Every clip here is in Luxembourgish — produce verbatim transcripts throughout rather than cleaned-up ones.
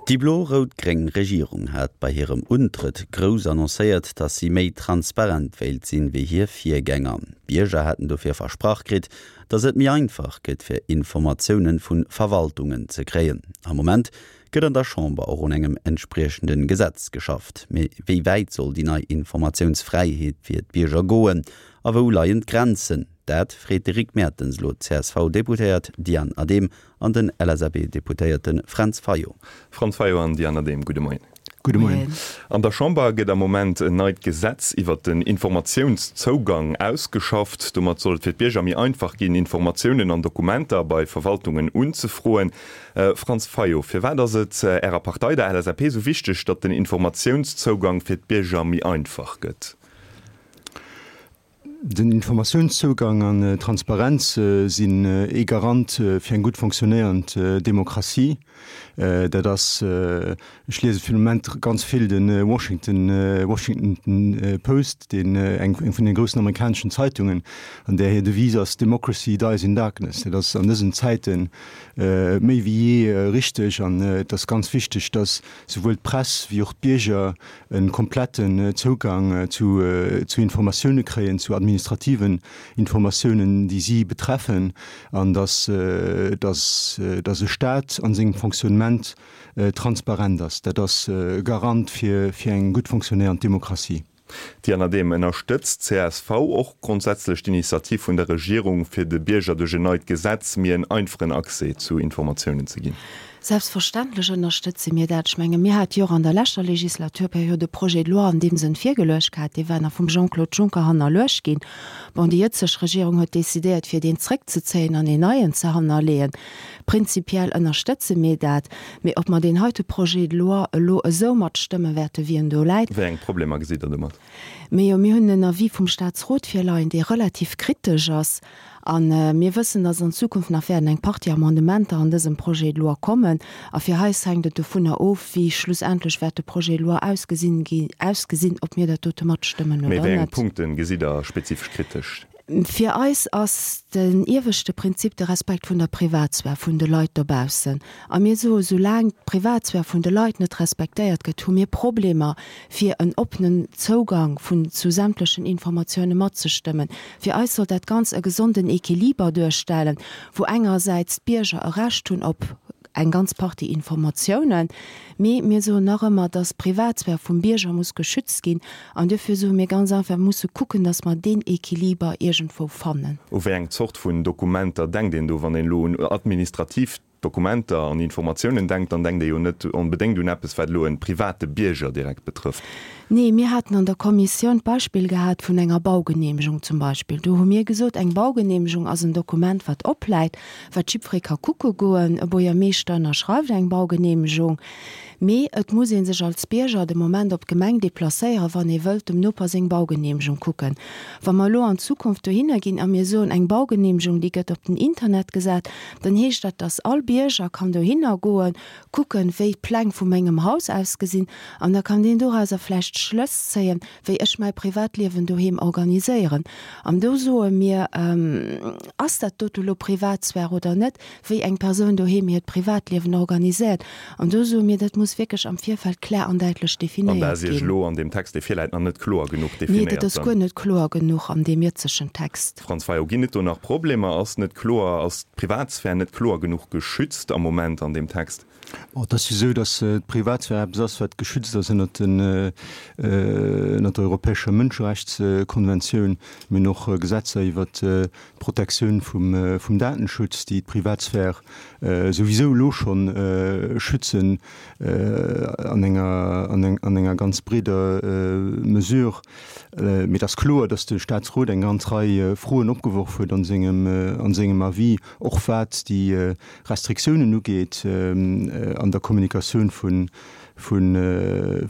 Déi blo-rout-gréng Regierung hat bei hirem Untrëtt grouss annoncéiert, datt si méi transparent wéilt sinn, wéi hir Virgänger. D'Bierger haten dofir versprach kritt, datt et méi einfach gëtt, fir Informatiounen vu Verwaltungen ze kréien. Am Moment gëtt an der Chamber och un engem entspriechende Gesetz geschafft. Mee wéi wäit soll déi nei Informatiounsfräiheet fir d'Bierger goen a wou leien d'Grenzen? Dat freet de Rick Mertens elo d'CSV-Deputéiert Diane Adehm an den LSAP-Deputéierte Fränz Fayot. Franz Fayot an Diane Adehm, gudde Moien. Gudde Moien. An der Chamber gëtt am Moment en neit Gesetz iwwert den Informatiounszougang ausgeschafft. Domat soll et fir d'Bierger méi einfach ginn, Informatiounen an Dokumenter bei Verwaltungen unzefroen. Franz Fayot, firwat ass et Ärer Partei, der LSAP, esou wichteg, datt den Informatiounszougang fir d'Bierger méi einfach gëtt? Den Informatiounszougang an Transparenz sinn ee Garant fir eng gutt fonctionnéierend Demokratie. Dat ass, ech liese fir de Moment ganz vill de Washington, Washington Post, deen eng vun de groussen amerikaneschen Zeitungen, an där hir Devise ass Democracy dies in darkness. Dat ass an dësen Zäite méi wéi jee richteg an et ass ganz wichteg, datt souwuel d'Press wéi och d'Bierger e kompletten Zougang zu zu Informatioune kréien, zu administrativen Informatiounen, déi si betreffen, an datt datt datt e Staat a sengem Fonctionnement transparent ass. Dat ass e Garant fir fir eng gutt fonctionnéiernd Demokratie. Diane Adehm, Ënnerstëtzt csv och grondsätzlech d'Initiativ vun der Regierung, fir de Bierger duerch en neit Gesetz méi en einfachen Accès zu Informatiounen ze ginn? Selbstverständlech ënnerstëtze mir dat. Ech menge mir hate jo och an der leschter Legislaturperiod e Projet de loi an deem Sënn virgeluecht gehat, dee war nach vum Jean-Claude Juncker hannerluecht ginn. Bon, déi jëtzeg Regierung huet decidéiert, fir deen zrëckzezéien an een neien ze hannerleeën. Prinzipiell ënnerstëtze mir dat. Mee ob mer deen heite Projet de loi elo esou matstëmme wäerten, wéi en do läit. Wéi eng Problemer gesitt Der domat? Mee jo, mir hunn en Avis vum Statsrot virleien, dee relativ kritesch ass. A mir wëssen, dass an Zukunft nach wäerten eng Partie Amendementer an dësem Projet de loi kommen. A fir eis hänkt et dovunner of, wéi schlussendlech wäert de Projet de loi ausgesinn, ausgesinn, ob mir dat dote matstëmmen Mee oder wéi eng net. Punkte gesitt Der spezifesch kritesch? Fir eis ass den ieweschte Prinzip de Respekt vun der Privatsphär vun de Leit dobaussen. A mir soen, soulaang d'Privatsphär vun de Leit net respektéiert gëtt, hu mir Problemer, fir en oppenen Zougang vun zu sämtlechen Informatioune matzestëmmen. Fir eis soll dat Ganz e gesonden Equiliber duerstellen, wou engersäits d'Bierger e Recht hunn op eng ganz Partie Informatiounen, mee mir soen nach ëmmer, dass d'Privatsphär vum Bierger muss geschützt ginn. An duerfir soe mir ganz einfach, mir musse kucken, dass mer deen Equiliber iergendwou fannen. U wéi eng Zort vun Dokumenter denkt een do, wann een elo un administrativ Dokumenter an Informatiounen denkt, dann denkt ee jo net onbedéngt un eppes, wat elo e private Bierger direkt betrëfft. Nee, mir haten an der Kommissioun d'Beispill gehat vun enger Baugenehmegung zum Beispill. Do hu mir gesot, eng Baugenehmegung ass en Dokument, wat opläit, wat jiddweree ka kucke goen. E Buergermeeschter ënnerschreift eng Baugenehmegung. Mee et muss ee sech als Bierger de Moment op d'Gemeng deplacéieren, wann ee wëllt dem Noper seng Baugenehmegung kucken. Wa mer elo an Zukunft dohinner ginn a mir soen, eng Baugenehmegung, déi gëtt op den Internet gesat, dann heescht dat, dass all Bierger kann dohinner goen, kucken, wéi d'Pläng vu mengem Haus ausgesinn, an da kann deen dorauser vläicht Schlëss zéien, wéi ech mäi Privatliewen doheem organiséieren. An do soe mir, Ass dat dote lo Privatsphär oder net, wéi eng Persoun doheem hiert Privatliewen organiséiert? An do soe mir, dat muss wierklech am Virfeld klär an däitlech An dat definéiert ass Iech ginn. elo an deem Text, dee virläit, nach net kloer genuch Nee, dat definéiert ass dann? guer net kloer genuch an deem jëtzegen Text. Franz Fayot, Ginn et do nach Problemer? Ass net kloer, ass d'Privatsphär net kloer genuch geschützt am Moment an deem Text? Bon, et ass jo esou, datt d'Privatsphär eppes ass, wat geschützt ass ënnert den, ënnert der europäescher Mënscherechtskonventioun. Mir hunn och Gesetzer iwwert d'Protektioun vum, vum Datenschutz, déi d'Privatsphär souwisou elo schonn schützen an enger, an enger ganz breeder Mesure. Mee et ass kloer, datt de Statsrot eng ganz Rei Froen opgeworf huet an sengem, an sengem Avis, och wat déi Restriktiounen ugeet an der Kommunikatioun vun, vun,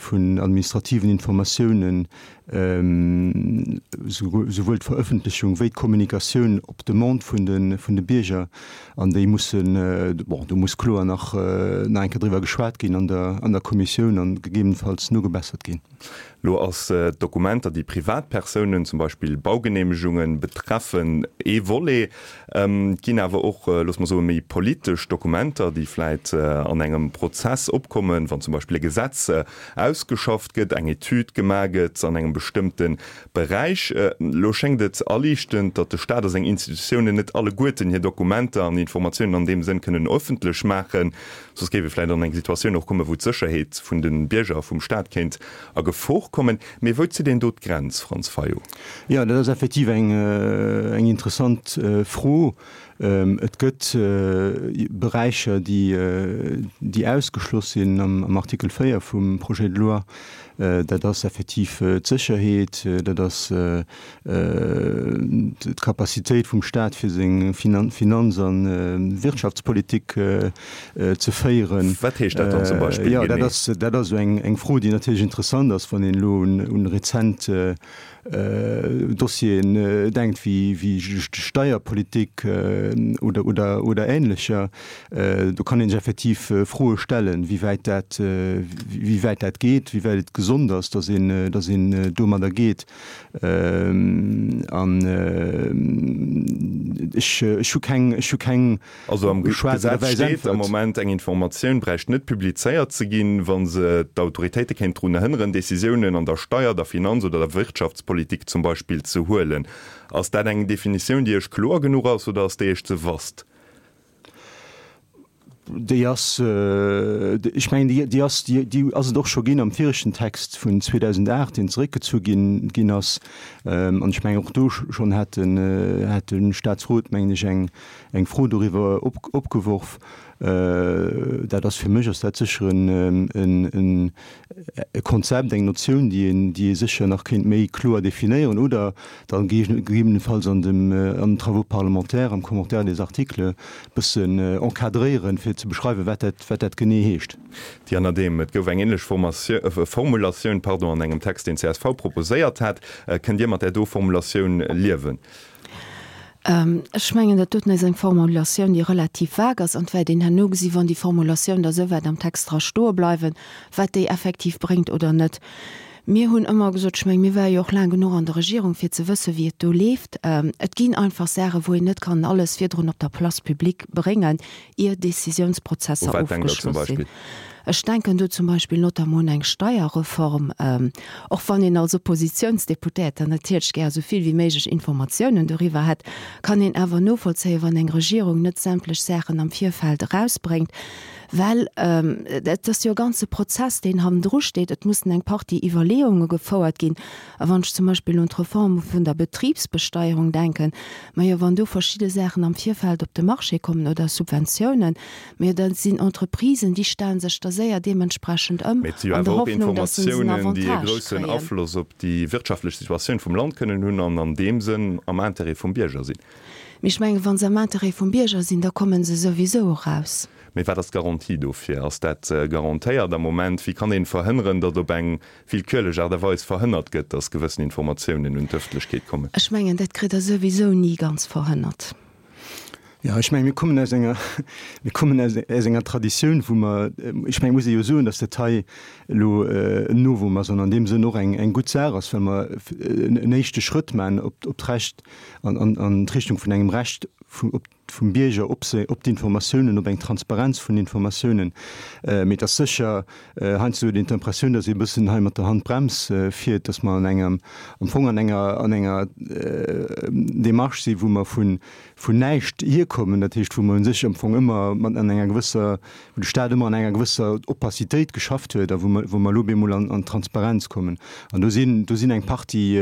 vun administrativen Informatiounen Souwuel d'Verëffentlechung wéi d'Kommunikatioun op Demande vun de vun de Bierger, an déi mussen, bon, do muss kloer nach nach eng Kéier driwwer geschwat ginn an der an der Kommissioun an gegebenenfalls nogebessert ginn. Lo ass d'Dokumenter, déi Privatpersounen, zum Beispill Baugeneemegungen, betreffen, ee Volet. Et ginn awer och, loosse mer soen, méi politesch Dokumenter, déi vläit an engem Prozess opkommen, wann zum Beispill e Gesetz ausgeschafft gëtt, eng Etüd gemaach gëtt an engem bestëmmte Beräich. Lo schéngt et aliichtend, datt de Staat a seng Institutiounen net alleguerten hir Dokumenter an Informatiounen an deem Sënn kënnen ëffentlech maachen. Soss géif ee vläicht an eng Situatioun och kommen, wou d'Sécherheet vun de Bierger a vum Staat kéint a Gefor kommen. Mee wou zitt een do d'Grenz, Franz Fayot? Jo, dat ass effektiv eng, eng interessant Fro. Et gëtt Beräicher, déi, déi ausgeschloss sinn am Artikel véier vum Projet de loi. Dat ass effektiv d'Sécherheet, dat ass d'Capacitéit vum Staat, fir seng Finanz a Wirtschaftspolitik ze féieren. Wat heescht dat dann zum Beispill genee? Jo, dat ass, dat ass esou eng Fro, déi natierlech interessant ass, wann een elo un rezent Dossieren denkt, wéi d'Steierpolitik oder, oder, oder Ähnlecher. Do kann een sech effektiv Froe stellen, wéi wäit dat, wéi wäit dat geet, wéi wäit et gesond ass, dass een, dass een domadder geet. An ech, ech hu keng, ech hu keng Also am Gesetz steet am Moment, eng Informatioun bräicht net publizéiert ze ginn, wa se d'Autoritéite kéint drun hënneren, Decisiounen an der Steier-, der Finanz oder der Wirtschaftspolitik zum Beispill ze huelen. Ass dat eng Definitioun, déi Iech kloer genuch ass oder ass déi Iech ze vast? Déi ass, ech mengen, déi, déi ass, déi, déi ass et och scho ginn am viregten Text vun zweedausendacht, deen zeréckgezu ginn, ginn ass. An ech mengen, och do schonn hat den, hat de Statsrot, mengen ech, eng, eng Fro doriwwer op, opgeworf. Dat ass, fir mech ass dat sécher en, e Konzept, eng Notioun, déi een, déi ee sécher nach kéint méi kloer definéieren oder dann gegebenenfalls an dem, an den Travaux parlementaires, am Commentaire des articles e bëssen encadréieren, fir ze beschreiwen, wat dat, wat dat genee heescht. Diana Adehm, Et gouf eng ähnlech Formulatioun, pardon, an engem Text, deen csv proposéiert hat. Kënnt Dir mat där do Formulatioun liewen? Ech mengen, dat doten ass eng Formulatioun, déi relativ vague ass, an et wäert een herno gesi wann déi Formulatioun da souwäit am Text dra stoe bleiwen, wat déi effektiv bréngt oder net. Mir hunn ëmmer gesot, ech mengen, mir ware jo och laang genuch an der Regierung, fir ze wëssen, wéi et do leeft, et ginn einfach Saachen, wou een net kann alles virdrun op der Place publique bréngen, ier Décisiounsprozesser U wat denkt Der zum ofgeschloss sinn. Beispill? Ech denken do zum Beispill notamment un eng Steierreform, och wann een als Oppositionsdeputéierter natierlech gär esou vill wéi méiglech Informatiounen doriwwer hätt, kann een awer novollzéien, wann eng Regierung net sämtlech Saachen am Virfeld erausbréngt, well et ass jo e ganze Prozess, deen hannendru steet. Et mussen eng Partie Iwwerleeunge gefouert ginn. A wann ech zum Beispill un d'Reform vun der Betribsbesteierung denken, majo, wann do verschidde Saachen am Virfeld op de Marché kommen oder Subventiounen, majo, dat sinn Entreprisen, déi stellen sech da séier deementsprechend ëm, Mee et si jo an der awer och Hoffnung, dass se en Informatiounen, déi e Avantage groussen kréien. Afloss op déi wirtschaftlech Situatioun vum Land kënnen hunn an an deem Sënn am Intérêt vum Bierger sinn. Mee ech mengen, wa se am Intérêt vum Bierger sinn, da komme se souwisou eraus. Mee wat ass d'Garantie dofir? Ass dat garantéiert am Moment? Wéi kann ee verhënneren, datt op eng willkürlech Aart a Weis verhënnert gëtt, datt gewëssen Informatiounen un d'Ëffentlechkeet kommen? Ech mengen, dat kritt Der souwisou ni ganz verhënnert. Jo, ech mengen, mir kommen aus enger, mir kommen aus, aus enger Traditioun, wou mer, ech mengen, muss ee jo soen, datt dat hei elo en Novum ass an an deem Sënn och eng, eng gutt Saach ass, well mer en éischte Schrëtt maachen op, op d'Recht, an, an, an d'Richtung vun engem Recht vu, op, vum Bierger op se, op d'Informatiounen, op eng Transparenz vun Informatiounen. Mee et ass sécher, heiansdo huet een d'Impressioun, datt ee e bëssen hei mat der Handbrems fiert, datt mer an engem, am Fong an enger, an enger Démarche si wou mer vun, vun näischt hierkommen, dat heescht wou mer u sech am Fong ëmmer mat an enger gewësser, wou de Stat ëmmer an enger gewësser Opacitéit geschafft huet a wou mer, wou mer elo op eemol an, an d'Transparenz kommen. An do sinn, do sinn eng Partie,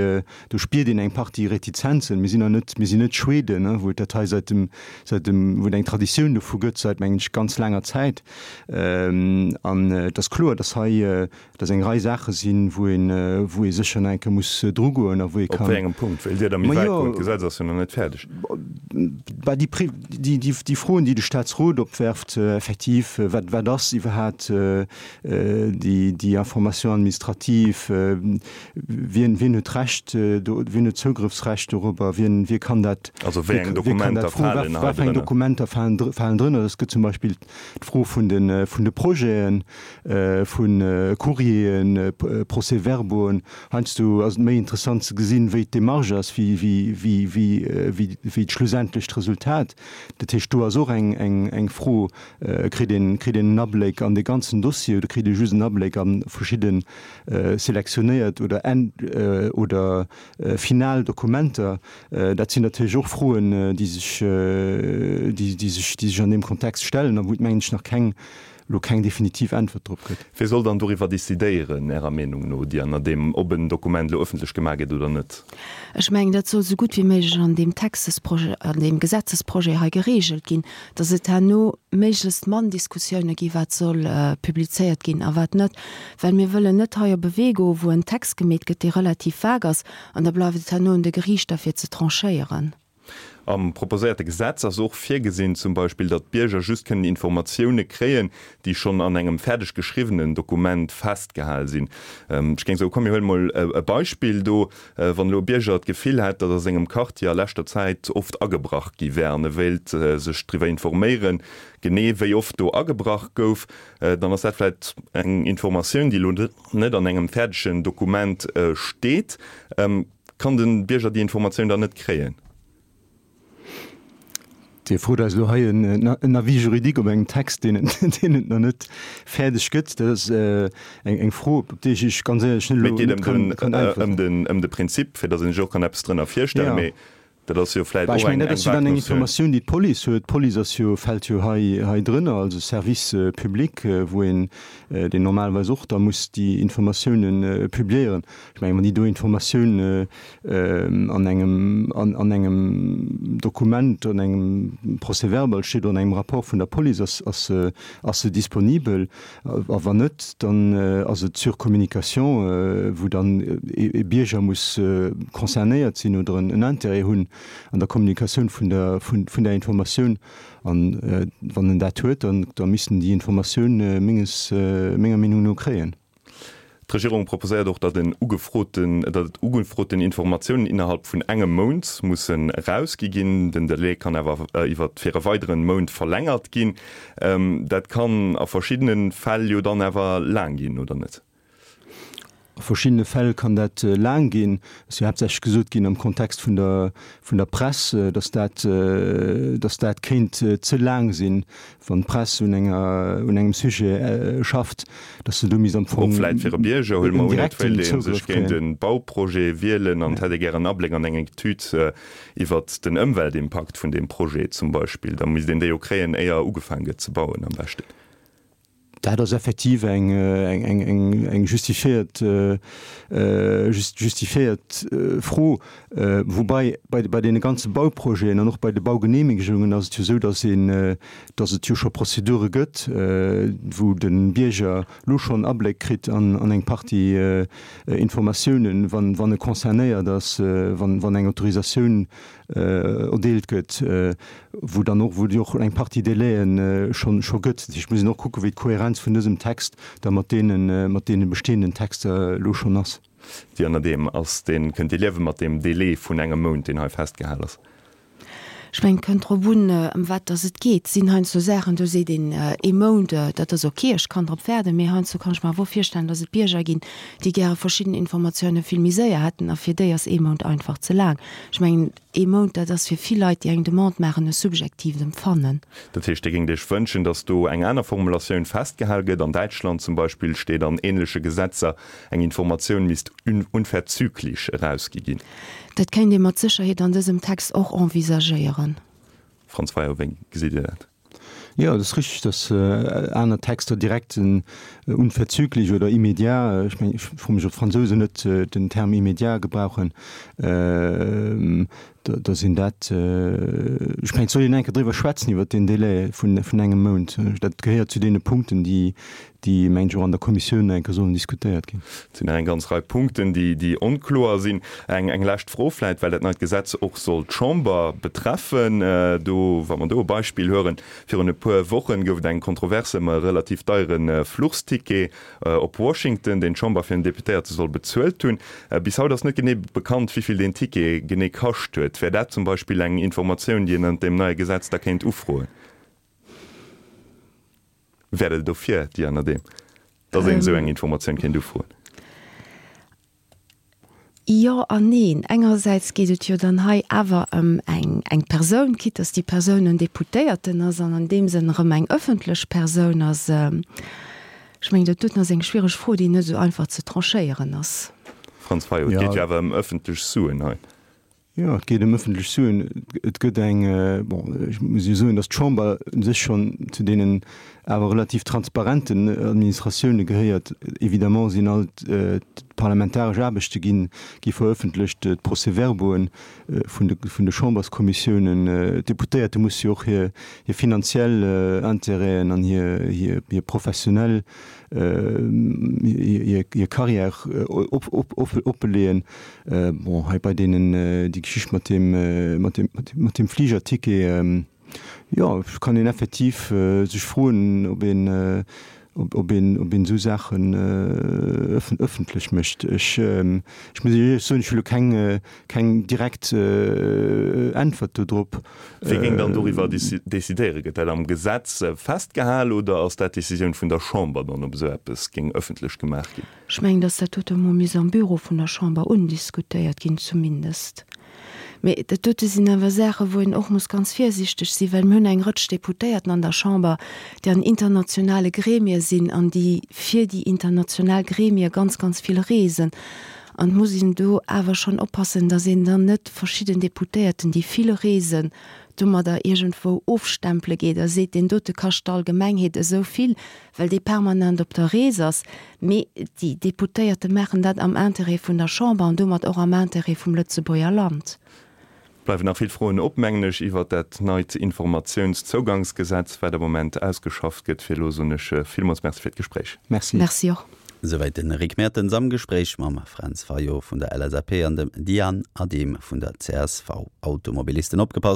do spiert een eng Partie Retizenzen. Mir sinn nach net, mir sinn net Schweden, wou et dat hei säit dem, säit dem, wou et eng Traditioun dovu gëtt säit, mengen ech, ganz laanger Zäit. An et ass kloer, datt hei, datt eng Rei Saache sinn, wou een, wou ee sécher nach eng Kéier muss drugoen a wou ee kann. Op wéi engem Punkt wéilt Dir da méi wäit goen? D'Gesetz ass jo nach net fäerdeg. Bah, déi, déi, déi Froen, déi de Statsrot opwerft, effektiv, wat, wat ass iwwerhaapt déi, déi Information administrative, wien, wien huet Recht do, wien huet Zougrëffsrecht dorobber, wien, wie kann dat, Also wéi eng Dokumenter falen hei drënner? Wat fir eng Dokumenter falen, falen drënner? Et gëtt zum Beispill d'Fro vun de, vun de Projeten, vu Courrieren, Procès-verbauen. Heiansdo ass et méi interessant ze gesinn, wéi d'Demarche ass, wéi, wéi, wéi, wéi, wéi, wéi d'schlussendlecht Resultat. Dat heescht, do ass och eng, eng, eng Fro, Kritt een, kritt een en Abléck an de ganzen Dossier oder kritt ee just en Abléck a verschidde selektionéiert oder en, oder final Dokumenter? Dat sinn natierlech och Froen, déi sech, déi, déi sech, déi sech an deem Kontext stellen a wou et, mengen ech, nach keng, elo keng definitiv Äntwert drop gëtt. Wie soll dann doriwwer decidéieren, Ärer Meenung no, déi ënner deem, ob en Dokument elo ëffentlech gemaach gëtt oder net? Ech mengen, dat soll esou gutt wéi méiglech an deem Textesprojet, an deem Gesetzesprojet hei geregelt ginn, dass et herno méiglechst mann Diskussioune gi wat soll publizéiert ginn a wat net, well mir wëllen net hei op e Wee goen, wou en Text gemeet gëtt, dee relativ vag ass, an da bleift et herno un de Geriichter fir ze tranchéieren. Am proposéierte Gesetz ass och virgesinn zum Beispill, datt d'Bierger just kënnen Informatioune kréien, déi schonn an engem fäerdeg geschriwwenen Dokument festgehal sinn. Ech géing soen, komm mir huele mol e Beispill do, Wann elo e Bierger d'Gefill hätt, datt a sengem Quartier a leschter Zäit oft agebrach gi wär an e wéilt sech driwwer informéieren, genee wéi oft do agebrach gouf, dann ass dat vläicht eng Informatioun, déi elo net an engem fäerdegen Dokument steet. Kann de Bierger déi Informatioun dann net kréien? Dir frot eis elo hei en Avis juridique op engem Text, deen et nach net fäerdeg gëtt. Dat ass eng Fro, op déi ech ganz éierlech net elo net kann äntweren. Mee et geet ëm de Prinzip, fir datt een sech och kann eppes drënner virstellen. Mee dat ass jo vläicht och eng vag Notioun. Ech mengen, dat ass jo dann eng Informatioun, déi d'Police huet. D'Police ass jo, fält jo hei hei drënner, also Service public, wou een, deen normalerweis och da muss déi Informatiounen publiéieren. Ech mengen, wann déi do Informatioun an engem, an engem Dokument, an engem Procès-verbal steet oder an engem Rapport vun der Police, ass, ass se, ass se disponibel. A wann net, dann ass et sur communication, wou dann e Bierger muss concernéiert sinn oder en Intérêt hunn an der Kommunikatioun vun der, vun der Informatioun. An wann en dat huet, dann, da misst en déi Informatioun menges, menger Meenung no kréien. D'Regierung proposéiert och, datt en ugefroten, datt ugefroten Informatiounen innerhalb vun engem Mount mussen erausgi ginn. Den Delai kann awer iwwer fir e weideren Mount verlängert ginn. Dat kann a verschiddene Fäll jo dann awer laang ginn, oder net? A verschiddene Fäll kann dat laang ginn. Et ass jo haaptsächlech gesot ginn am Kontext vun der, vun der Press, datt dat, datt dat kéint ze laang sinn, wann d'Press un enger, un engem Sujet schafft, datt se do misst am Fong Och vläit fir e Bierger, huele mer un, et wéilt ee sech géint e Bauprojet wielen an et hätt ee gären Abléck an eng Etüd iwwert den Ëmweltimpakt vun deem Projet zum Beispill. Da misst een déi jo kréien, éier ugefaang gëtt ze bauen am beschten. Dat ass effektiv eng justifiéiert justifiéiert Fro. Woubai bei deene ganze Bauprojeten an och bei de Baugenehmegungen ass et jo esou, datt een, datt et jo scho Prozedure gëtt, wou de Bierger elo schonn Abléck kritt an eng Partie Informatiounen, wann e concernéiert ass, wann eng Autorisatioun erdeelt gëtt, wou dann och, wou et jo och eng Partie Délaië schonn, scho gëtt. Dat heescht, et muss een och kucken, wéi d'Kohärenz vun dësem Text da mat deenen, mat deene bestehenden Texter elo schonn ass. Déi an deem ass, deen, kënnt Dir liewe mat deem Délai vun engem Mount, deen hei festgehal ass? Ech mengen, et kënnt drop un, ëm wat dass et geet. Et sinn heiansdo Saachen, do seet een, ee Mount, dat ass ok, ech kann drop waarden. Mee heiansdo kann ech mer awer och virstellen, dass et Bierger ginn, déi gäre verschidden Informatioune vill méi séier hätten, a fir déi ass ee Mount einfach ze laang. Ech mengen, ee Mount, dat ass fir vill Leit, déi eng Demande maachen, e subjektiivt Empfannen. Dat heescht, Dir géingt Iech wënschen, dass do eng aner Formulatioun festgehal gëtt. An Däitschland zum Beispill steet an ähnleche Gesetzer, eng Informatioun misst unverzüglich erausgi ginn. Dat kéint ee mat Sécherheet an dësem Text och envisagéieren. Franz Fayot, wéi gesitt Dir dat? Jo, et ass richtig, datt aner Texter direkt en unverzüglich oder immédiat, ech mengen, ech froe mech, ob d'Fransousen net den Term immédiat gebrauchen, da sinn dat, ech mengen, et soll een eng Kéier driwwer schwätzen, iwwert deen Délai vun, vun engem Mount. Dat gehéiert zu deene Punkten, déi, déi, mengen ech, och an der Kommissioun eng Kéier sollen diskutéiert ginn. Et sinn nach eng ganz Rei Punkten, déi, déi onkloer sinn. Eng, eng lescht Fro vläicht, well dat neit Gesetz och soll d'Chamber betreffen. Do, wa mer do e Beispill hueren, Virun e puer Wochen gouf et eng Kontroverse ëm e relativ deiere Fluchsticket op Washington, deen d'Chamber fir en Deputéierte soll bezuelt hunn. Bis haut ass net genee bekannt, wéi vill deen Ticket genee kascht huet. Wär dat zum Beispill eng Informatioun, déi een ënnert deem neie Gesetz da kéint ufroen? Wäert Der dofir, Diane Adehm, datt een esou eng Informatioun kéint ufroen? Jo an neen. Engersäits geet et jo dann hei awer ëm eng, eng Persoun, quitte dass déi Persoun en Deputéierten ass an an deem Sënn erëm eng ëffentlech Persoun ass. Ech mengen, dat doten ass eng schwiereg Fro, déi net esou einfach ze tranchéieren ass. Franz Fayot, Et geet jo awer ëm ëffentlech Suen hei. Jo, et geet ëm ëffentlech Suen. Et gëtt eng, bon, ech muss jo soen, datt d'Chamber u sech schonn zu deenen awer relativ transparenten Administratioune gehéiert. Évidemment sinn all d'parlamentaresch Aarbechte ginn, gi verëffentlecht, d'Procès-verbauen vun de, vun de Chamberskommissiounen. D'Deputéierte musse jo och hir, hir finanziell Intérêten an hir, hir, hir professionell, hir Carrière oppeleeën. Bon, hei bei deenen, déi Geschicht mat deem, mat deem, mat deem Fligerticket, jo, kann een effektiv sech froen, ob een, ob een, ob een esou Saachen ëffentlech mécht. Ech, ech muss Iech éierlech soen, ech hu lo keng, keng direkt Äntwert do drop. Wie géing dann doriwwer decidéieren? Gëtt dat am Gesetz festgehal oder ass dat d'Decisioun vun der Chamber dann, ob esou eppes géing ëffentlech gemaach ginn? Ech mengen, datt dat dote emol misst am Büro vun der Chamber undiskutéiert ginn, zumindest. Mee dat dote sinn awer Saachen, wou een och muss ganz virsiichteg sinn, well mir hunn eng Rëtsch Deputéierten an der Chamber, déi an internationale Gremie sinn an déi fir déi international Gremie ganz, ganz vill reesen. An et muss een do awer schonn oppassen, datt een dann net verschidden Deputéierten, déi vill reesen, domadder iergendwou ofstempele geet a seet, deen dote kascht d'Allgemengheet esou vill, well dee permanent op der Rees ass. Mee déi Deputéierte maachen dat am Interêt vun der Chamber an domat och am Interêt vum Lëtzebuerger Land. Bleiwen nach vill Froen op, mengen ech, iwwert dat neit Informatiounszougangsgesetz, wat am Moment ausgeschafft gëtt. Fir elo soen ech villmools Merci fir d'Gespréich. Merci. Merci och. Souwäit den Rick Mertens am Gespréich mam Fränz Fayot vun der L S A P an dem Diane Adehm vun der C S V. Automobilisten opgepasst,